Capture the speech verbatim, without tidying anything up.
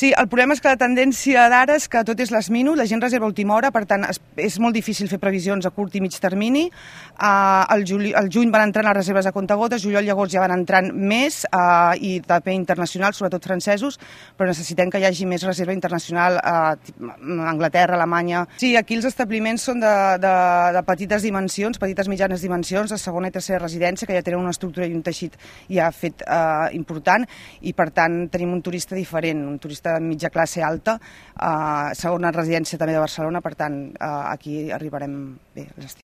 Sí, el problema és que la tendència d'ara és que tot és last minute, la gent reserva a última hora, per tant és molt difícil fer previsions a curt i mig termini. Al juny van entrant les reserves a comptagotes, juliol i agost ja van entrant més, i també internacionals, sobretot francesos, però necessitem que hi hagi més reserva internacional a Anglaterra, Alemanya. Sí, aquí els establiments són de petites dimensions, petites mitjanes dimensions, de segona i tercera residència, que ja tenen una estructura i un teixit ja fet important, i per tant tenim un turista diferent, un turista de mitja classe alta, segona residència també de Barcelona, per tant aquí arribarem bé a l'estiu.